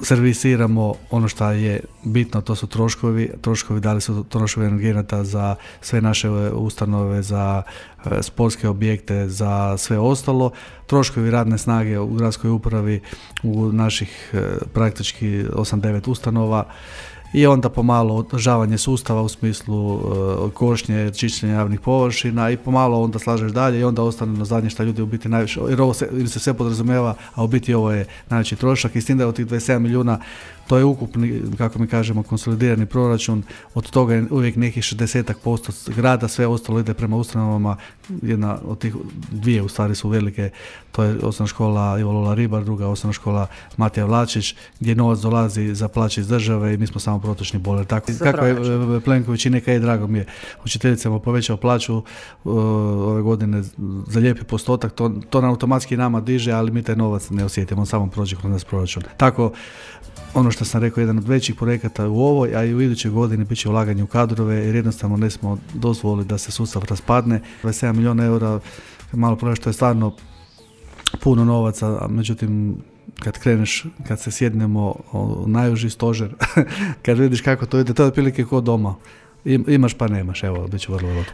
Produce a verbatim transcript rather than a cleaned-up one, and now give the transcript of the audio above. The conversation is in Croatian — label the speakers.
Speaker 1: servisiramo ono što je bitno, to su troškovi, troškovi da li su troškovi energenata za sve naše ustanove, za e, sportske objekte, za sve ostalo, troškovi radne snage u gradskoj upravi u naših e, praktički osam devet ustanova i onda pomalo održavanje sustava u smislu e, košnje, čišćenja javnih površina i pomalo onda slažeš dalje i onda ostane na zadnje što ljudi u biti najviše, jer ovo se, ili se sve podrazumijeva, a u biti ovo je najveći trošak i s tim da je od tih dvadeset sedam milijuna to je ukupni, kako mi kažemo, konsolidirani proračun, od toga je uvijek nekih šezdeset posto grada, sve ostalo ide prema ustanovama, jedna od tih dvije u stvari su velike, to je osnovna škola Ivo Lola Ribar, druga osnovna škola Matija Vlačić, gdje novac dolazi za plaće iz države i mi smo samo protočni bojler. Tako, kako je Plenković i neka je, drago mi je, učiteljicama povećao plaću uh, ove godine za lijepi postotak, to, to nam automatski nama diže, ali mi taj novac ne osjetimo, on samo prođe kroz nas proračun. Tako, ono što sam rekao, jedan od većih projekata u ovoj, a i u idućoj godini bit će ulaganje u kadrove, jer jednostavno ne smo dozvolili da se sustav raspadne. dvadeset sedam milijuna eura, malo prvo što je stvarno puno novaca, a međutim kad kreneš, kad se sjednemo u najuži stožer, kad vidiš kako to ide, to je otprilike kao doma. Imaš pa nemaš, evo, bit ću vrlo vrlo